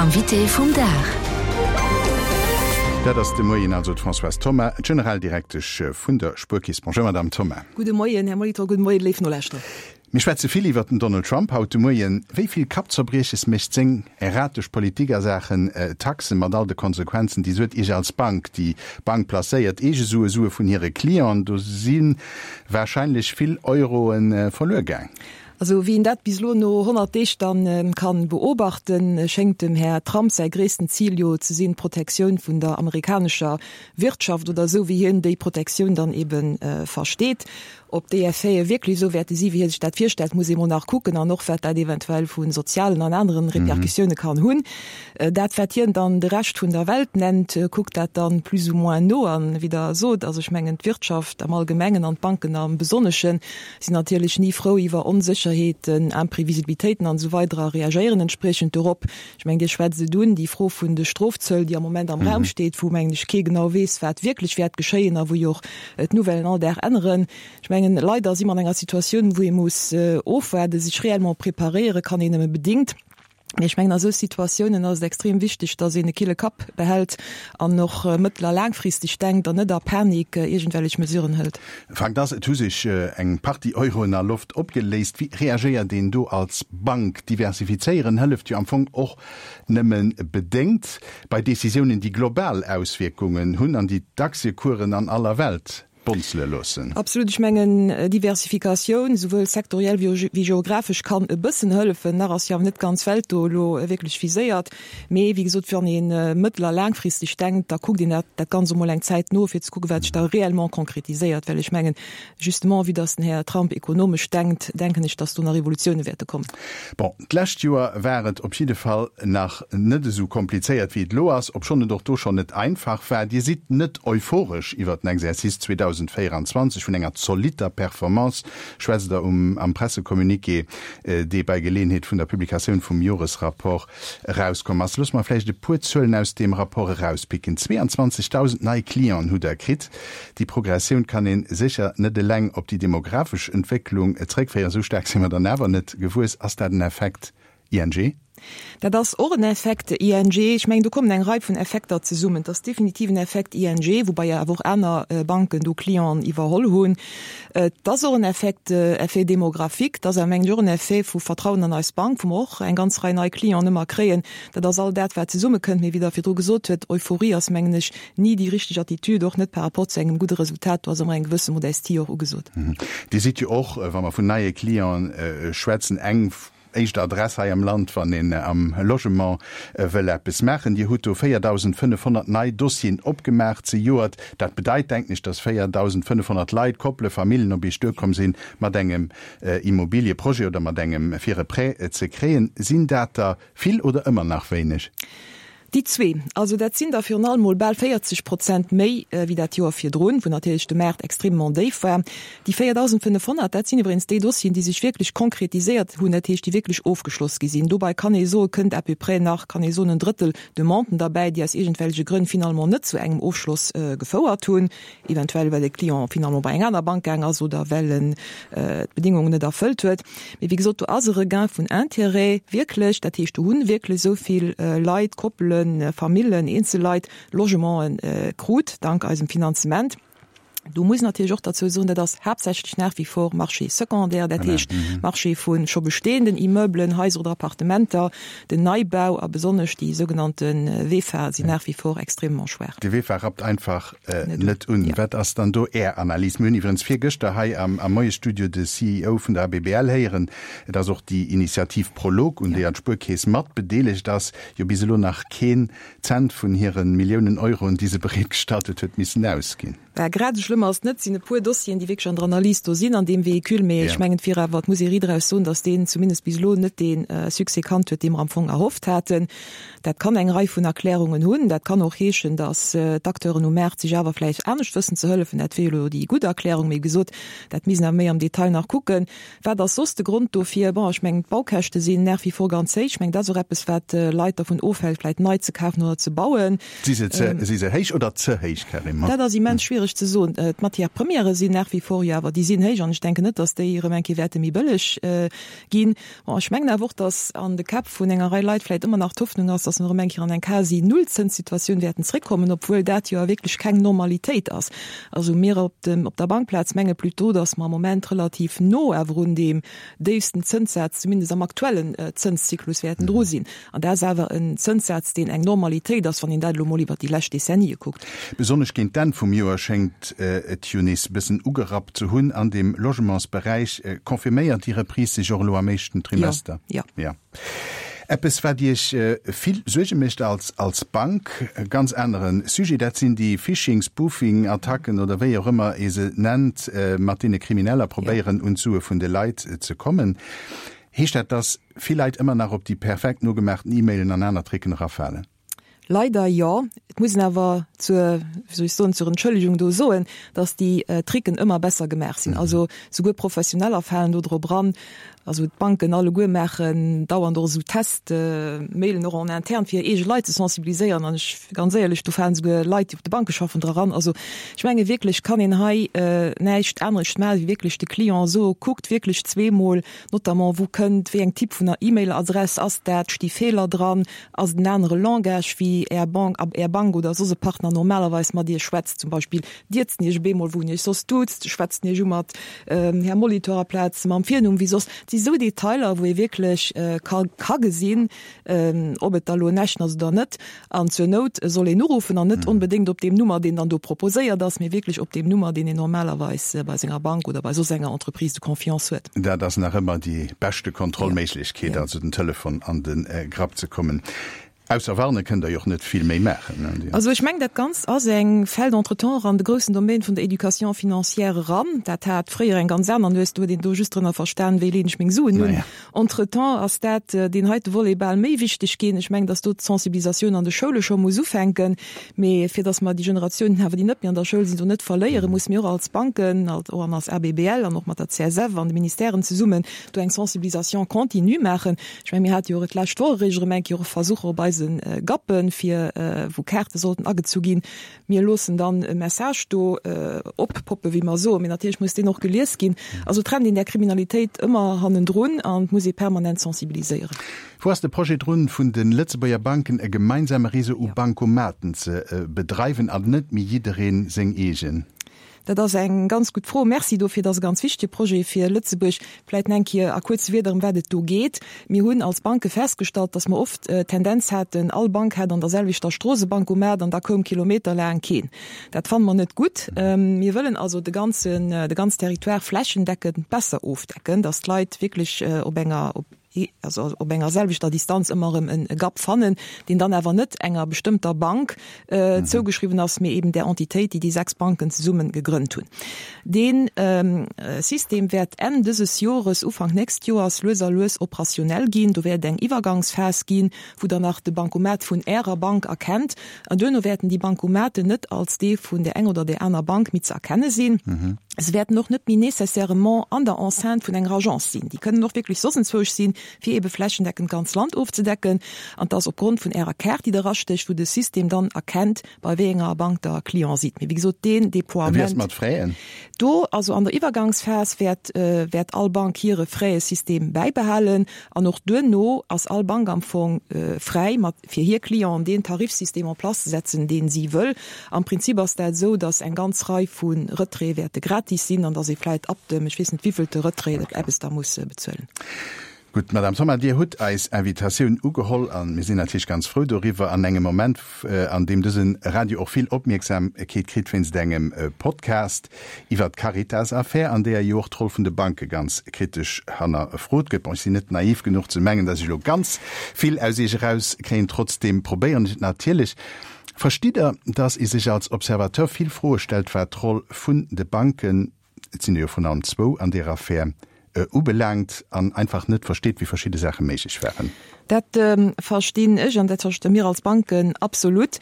L'invité vum Dag. Dat ass de Moien also d'Françoise Thoma, d'Generaldirektesch vun der Spuerkeess. Bonjour Madame Thoma. Gudde Moien, Här Molitor, gudde Moien, léif Nolauschterer. Mir schwätze vill iwwert den Donald Trump haut de Moien. Wéi vill Kappzerbrieches mécht seng erratesch Politik a Saachen Taxen, mat all de Konsequenzen, déi se huet, Iech als Bank? Déi Bank placéiert eege Sue, Sue vun hire Clienten. Do si warscheinlech vill Euroe verluer gaang. Also wéi een dat bis elo no 100 Deeg dann kann beobachten, schéngt dem Här Trump säi gréissten Zil jo ze sinn, d'Protektioun vun der amerikanescher Wirtschaft, oder esou wéi hien déi Protektioun dann eben versteet. Ob déi Effete wierklech esou wäerte si wéi hie sech dat virstellt, muss ee mol nach kucken, an och wat dat eventuell vu sozialen an aneren Repercussioune kann hunn. Dat wat hien dann de Rescht vun der Welt nennt, kuckt dat dann plus ou moins no. An wéi Der sot, also ech mengen d'Wirtschaft am Allgemengen an d'Banken am Besonneschen sinn natierlech ni frou iwwer Onsécherheeten, Imprevisibilitéiten an esou weider a reagéieren entspriechend dorop. Ech mengen, Dir schwätzt et un, déi Fro vun de Strofzöll, déi am Moment am Raum steet, wou, mengen ech, kee genau weess, wat wierklech wäert geschéien a wou jo och d'Nouvellen all Dag änneren. Ech mengen, leider si mer an enger Situatioun, wou ee muss ofwaarden. Sech réellement preparéiere kann een nëmme bedingt. Mee ech mengen, a sou Situatiounen ass et extrem wichteg, dass een e kille Kapp behält an och mëttel a laangfristeg denkt an net a Panik iergendwellech Mesuren hëlt. Fakt ass, et hu sech eng Partie Euroen a Loft opgeléist. Wéi reagéiert een do als Bank? Diversifizéieren hëlleft jo am Fong och nëmme bedéngt bei Decisiounen, déi global Auswierkungen hunn an déi d'Aktiecoursen an aller Welt bonzele loossen. Absolut. Ech mengen, Diversifikatioun, souwuel sektoriell wéi geographesch, kann e bëssen hëllefen. Nach ass jo awer net d'ganz Welt do elo wierklech viséiert. Mee wéi gesot, wann ee mëttel a laangfristeg denkt, da kuckt een dat dat Ganzt emol eng Zäit no, fir ze kucken, wat sech da réellement konkretiséiert. Well ech mengen, justement, vue dass den Här Trump ekonomesch denkt, denken ech, dass do nach Evolutioune wäerte kommen. Bon, d'lescht Joer war et op jidde Fall nach net esou komplizéiert, wéi et elo ass, obschonn et och do schonn net einfach war. Dir sidd net euphoresch iwwert den Exercice 2024. Vun enger zolitter Performance schwätzt Der um am Pressecommuniqué, dee bei Geleeënheet vun der Publikatioun vum Joresrapport erauskomm ass. Loosse mer vläicht e puer Zuelen aus deem Rapport erauspicken. 22.000 nei Clienten hutt Der kritt. Déi Progressioun kann ee sécher net eleng op déi demografesch Entwécklung zréckféieren. Esou staark si mer dann awer net gewuess. Ass dat en Effekt ING? Dat ass och en Effekt ING. Ech mengen, do kommen eng Rei vun Effekter zesummen. Et ass definitiv en Effekt ING, woubai awer och aner Banken do Clienten iwwerholl hunn. Et ass och en Effekt, Effet démographique. Et ass awer, mengen ech, och en Effet vu Vertrauen an eis Bank, wou mer och eng ganz Rei nei Clienten ëmmer kréien. Dat ass all dat, wat zesummekënnt. Mee wéi Der virdru gesot huet, Euphorie ass, mengen ech, ni déi richteg Attitude, och net par rapport zu engem gudde Resultat. Do ass ëmmer eng gewësse Modestie och ugesot. Dir sidd jo och, wa mer vun neie Clienten schwätzen, eng éischt Adress hei am Land, wann een am Logement wëll eppes maachen. Dir hutt do 4.500 nei Dossieren opgemaach zejoert. Dat bedeit, denken ech, dass 4.500 Leit, Koppele, Familljen op Iech duerkomm sinn mat engem Immobilieprojet oder mat engem fir e Prêt ze kréien. Sinn dat der vill oder ëmmer nach wéineg? Déi zwee. Also dat sinn der virun allem mol bal 40 Prozent méi wéi dat Joer virdrun, wou natierlech de Maart extrêmement déif war. Déi 4.500, dat sinn iwwregens déi Dossieren, déi sech wierklech konkretiséiert hunn, dat heescht, déi wierklech ofgeschloss gi sinn. Dobei kann ee soen, kënnt à peu près nach, kann ee soen, en Drëttel Demanden derbäi, déi aus iergendwelleche Grënn finalement net zu engem Ofschloss gefouert hunn, eventuell well de Client finalement bei eng aner Bank gaang ass oder well en d'Bedingungen net erfëllt huet. Mee wéi gesot, do ass e Regain vun Intérêt wierklech. Dat heescht, do hu wierklech esou vill Leit, Koppelen, Famillen, Eenzelleit Logementen krut dank eisem Finanzement. Do muss een natierlech och derzou soen, dat ass haaptsächlech nach wie vor Marché secondaire, dat heescht Marché vu scho bestehenden Immeublen, Haiser oder Appartementer. Den Neibau a besonnesch déi sougenannte VEFA sinn nach wie vor extrêmement schwaach. De VEFA rappt einfach net un. Wat ass dann do Är Analys? Mir hunn iwwerens virgëschter hei am Moiesstudio de CEO vun der ABBL héieren, dass och déi Initiativ Prolog, un deeër d'Spuerkeess mat bedeelegt ass, jo bis elo nach keen Cent vun hire Milliounen Euroen, déi se bereetgestallt huet, huet missen ausginn. Bah, grad esou schlëmm ass et net. Et sinn e puer Dossieren, déi wierklech an der Analys do sinn an deem Véhicule, mee ech mengen, et wier awer, et muss ee riitraus soen, dass deen zumindest bis elo net dee Succès kannt huet, dee mer am Fong erhofft haten. Dat kann eng Rei vun Erklärungen hunn. Dat kann och heeschen, dass d'Acteuren um Maart sech awer vläicht anescht wëssen ze hëllefen. Dat wier jo elo déi gutt Erklärung, mee wéi gesot, dat misst een awer méi am Detail nach kucken. Wat ass soss de Grond dofir? Bon, ech mengen, d'Baukäschte sinn nach wie vor ganz héich. Ech mengen, dat ass och eppes, wat Leit dervun ofhält, vläicht nei ze kafen oder ze bauen. Si se ze, si se héich oder ze héich, carrément? Dat ass immens schwiereg. schwiereg ze soen. D'Matières premières sinn nach wie vor jo awer, déi sinn héich an ech denken net, datt déi erëm eng Kéier wäerte méi bëlleg ginn. Bon, ech mengen awer och, datt an de Käpp vun enger Rei Leit vläicht ëmmer nach d'Hoffnung ass, datt mer erëm eng Kéier an eng quasi Nullzënssituatioun wäerten zréckkommen, obwuel dat jo a wierklech keng Normalitéit ass. Also mir op dem, op der Bankplaz menge plutôt, datt mer am Moment relativ no awer un deem déifsten Zënssaz, zumindest am aktuellen Zënszyklus, wäerten dru sinn. An dat ass awer en Zënssaz, deen eng Normalitéit ass, wann een dat elo emol iwwert déi lescht Dezennië kuckt. Besonnesch géint d'Enn vum Joer schéngt et jo nees e bëssen ugerappt ze hunn an dem Logementsberäich. Confirméiert déi Reprise sech och elo am éischten Trimester? Jo, jo. Jo. Eppes, wat Iech vill Suerge mécht als als Bank, e ganz anere Sujet, dat sinn déi Phishing, Spoofing Attacken oder wéi och ëmmer ee se nennt, mat deene Krimineller probéieren un d'Sue vun de Leit ze kommen. Heescht dat, dass vill Leit ëmmer nach op déi perfekt nogemaachten E-Mailen an aner Tricken erafalen? Leider jo. Et muss een awer zur, wéi soll ech soen, zur Entschëllegung do soen, dass déi Tricken ëmmer besser gemaach sinn. Also souguer Professioneller falen do drop eran. Also d'Banken alleguer maachen dauernd och esou Test-Mailen och en interne fir hir eege Leit ze sensibiliséieren. An ech, ganz éierlech, do falen souguer Leit, déi op de Banke schaffen, dra ran. Also ech menge wierklech kann een hei näischt anerescht maachen, wéi wierklech de Client soe, kuckt wierklech zweemol, Notamment, wou kënnt wéi eng Typ vun der E-Mail-Adress ass dat? Sti Feeler dran? Ass et en anere Langage wéi Är Bank, Är Bank oder soss e Partner normalerweis mat Iech schwätzt? Zum Beispill dierzt en Iech op eemol, wou en Iech soss duuzt? Schwätzt en Iech u mat Här Molitor aplaz mam Virnumm wéi soss? Et si sou Detailer, wou ee wierklech ka ka gesinn, ob et da lo en echten ass oder net. An zur Nout soll een uruffen an net onbedéngt op deem Nummer, deen dann do proposéiert ass, mee wierklech op deem Nummer, deen een normalerweis bei senger Bank oder bei soss enger Entreprise de confiance huet. Dat ass nach ëmmer déi beschte Kontrollméiglechkeet, also den Telefon an de Grapp ze kommen. Ausser warne kënnt Der jo och net vill méi maachen. Also ech mengen, dat Ganzt ass eng, fält entretemps an de groussen Domaine vun der Éducation financière eran. Dat hat fréier eng ganz aner Nues, do huet een do just drënner verstan, wéi leen ech meng Suen un. Entretemps ass dat, deen heite Volet bal méi wichteg ginn. Ech mengen, dass do d'Sensibilisatioun an de Schoule scho muss ufänken. Mee fir dass mer déi Generatiounen awer, déi net méi an der Schoul sinn, do net verléieren, musse mir och als Banken, och an als ABBL an och mat der CSF an de Ministèren zesummen do eng Sensibilisation continue maachen. Ech mengen, mir hate jo och d'lescht Woch eréischt erëm eng Kéier och Versucher op eise Gappen, fir wou Kaarte sollten agezu ginn, Mir loossen dann e Message do oppoppen, wéi mer soen, mee natierlech muss deen och gelies ginn. Also et rennt een där Kriminalitéit ëmmer hannendrun an et muss ee permanent sensibiliséieren. Wou ass de Projet drun, vun de Lëtzebuerger Banken e gemeinsame Réseau u Bancomaten ze bedreiwen an net méi jiddereen seng eegen? Dat ass eng ganz gutt Fro. Merci dofir. Dat ass e ganz wichtege Projet fir Lëtzebuerg. Vläicht eng Kéier a kuerze Wierder, ëm wat et do geet. Mir hunn als Banke festgestallt, dass mer oft d'Tendenz haten, all Bank hat an der selwechter Strooss e Bancomat an da koum kilometerlaang keen. Dat fanne mer net gutt. Mir wëllen also de ganzen, de ganz Territoire flächendeckend besser ofdecken, dass d'Leit wierklech op enger, op, also op enger selwechter Distanz ëmmer erëm e Gap fannen, deen dann awer net enger bestëmmter Bank zougeschriwwen ass, mee eben där Entitéit, déi déi 6 Banken zesumme gegrënnt hunn. Dee System wäert Enn dëses Jores, Ufank nächst Joers lues a lues operationell ginn. Do wäert et eng Iwwergangsphas ginn, wou Der nach de Bancomat vun Ärer Bank erkennt. An duerno wäerten déi Bancomaten net als dee vun där enger oder där aner Bank méi ze erkenne sinn. Se wäerten och net méi nécessairement an der Enceinte vun enger Agence sinn. Déi kënnen och wierklech soss enzwousch sinn, fir eebe flächendeckend d'ganz Land ofzedecken. An 't ass opgrond vun Ärer Kaart, déi Der erastécht, wou de System dann erkennt, bei wéi enger Bank Der Client sidd. Mee wéi gesot, deen Déploiement. Wéi ass et mat Fräen? Do, also an der Iwwergangsphas, wäert wäert all Bank hire Fräesystem bäibehalen. An och duerno ass all Bank am Fong fräi, mat fir hir Clienten deen Tarifsystem en place ze setzen, deen si wëll. Am Prinzip ass dat esou, datt eng ganz Rei vu Retraite wäerte gratis sinn an datt ee vläit ab dem, ech weess net wéivillte Retrait, eppes da muss bezuelen. Gutt, Madame Thoma, Dir hutt eis Invitatioun ugeholl a mir sinn natierlech ganz frou doriwwer. An engem Moment, an deem dëse Radio och vill Opmierksamkeet kritt wéinst engem Podcast iwwert d'Caritas-Affär, an deeër jo och d'Roll vun de Banke ganz kritesch hannerfrot gëtt. Bon, ech sinn net naiv genuch ze mengen, datt ech elo ganz vill aus Iech erauskréien. Trotzdeem probéieren ech et natierlech. Verstitt Der, datt ee sech als Observateur vill Froe stellt, wat d'Roll vun de Banken, et sinn der jo vrun allem zwou an deer Affär, ubelaangt an einfach net versteet, wéi verschidde Saache méiglech waren. Dat verstinn ech an dat versti mir als Banken absolut.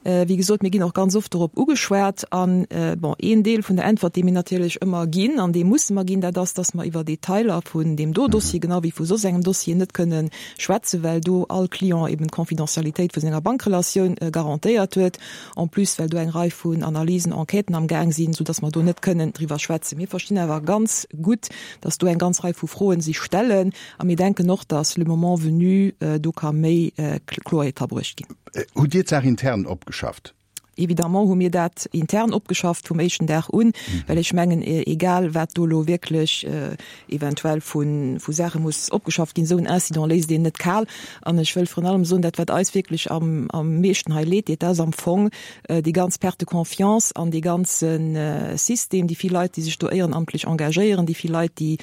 Wéi gesot, mir ginn och ganz oft dorop ugeschwat. An, bon, een Deel vun der Äntwert, dee mir natierlech ëmmer ginn, an dee musse mer ginn, dat ass, dass mer iwwer Detailer vun deem do Dossier, genau wéi vu soss engem Dossier, net kënne schwätzen, well do all Client eben d'Confidentialitéit vu senger Bankrelatioun garantéiert huet. En plus, well do eng Rei vun Analysen, Enquêten am Gaang sinn, soudass mer do net kënnen driwwer schwätzen. Mir verstinn awer ganz gutt, dass do eng ganz Rei vu Froen sich stellen. A mir denken och, dass le moment venu do ka méi Kloerheet rabruecht ginn. Hutt Dir d'Saach intern opgeschafft? Évidemment hu mir dat intern opgeschafft vum éischten Dag un, well ech mengen, egal wat do elo wierklech eventuell vu Saache muss opgeschafft ginn, esou en Incident léisst een net kal. An ech wëll virun allem soen, dat wat eis wierklech am meeschten hei leed deet, dat ass am Fong déi ganz Perte de confiance an dee ganze System, déi vill Leit, déi sech do éierenamtlech engagéieren, déi vill Leit, déi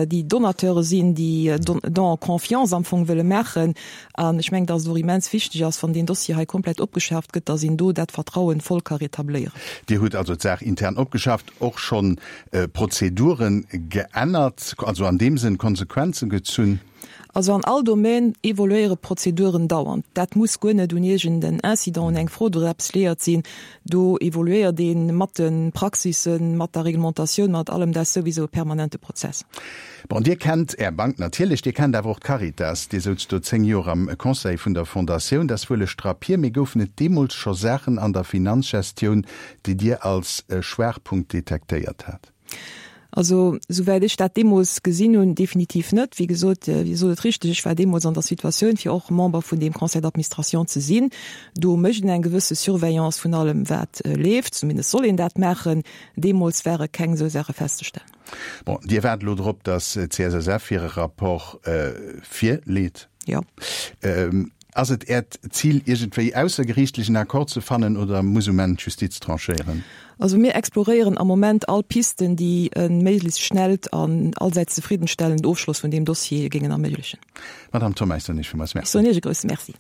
déi Donateure sinn, déi Don en confiance am Fong wëlle maachen. An ech mengen, dass et och immens wichteg ass, wann deen Dossier hei komplett opgeschaaft gëtt, dass een do dat Vertrauen voll ka rétabléieren. Dir hutt also d'Saach intern opgeschafft, och schonn Prozeduren geännert, also an deem Sënn Konsequenzen gezunn? Also an all Domaine evoluéiere Prozeduren dauernd. Dat muss guer net un iergend en Incident, un eng Fraude oder eppes liéiert sinn. Do evoluéiert ee mat de Praxissen, mat der Reglementatioun, mat allem. Dat ass souwisou e permanente Prozess. Bon, Dir kennt Är Bank natierlech, Dir kennt awer och d'Caritas. Dir souz do 10 Joer am Conseil vun der Fondatioun. Dat ass wuel e Strapp hier, mee goufen et deemools scho Saachen an der Finanzgestioun, déi Dir als Schwaachpunkt detektéiert hat? Also, souwäit ech dat deemools gesinn hunn, definitiv net. Wéi gesot, Dir sot et richteg, ech war deemools an der Situatioun, fir och Member vun deem Conseil d'administration ze sinn. Do mécht een eng gewësse Surveillance vun allem, wat leeft, zumindest soll een dat maachen. Deemools ware keng esou Saache festzestellen. Bon, Dir waart elo drop, datt d'CSSF hire Rapport virleet. Jo. Ass et Äert Zil, iergendwéi aussergeriichtlech en Accord ze fannen oder muss um Enn d'Justiz tranchéieren? Also mir exploréieren am Moment all Pisten, déi e méiglechst schnellt an allsäits zefriddenstellend Ofschloss vun deem Dossier géingen erméiglechen. Madamm Thoma, ech soen Iech villmools Merci. Ech soen Iech e grousse Merci.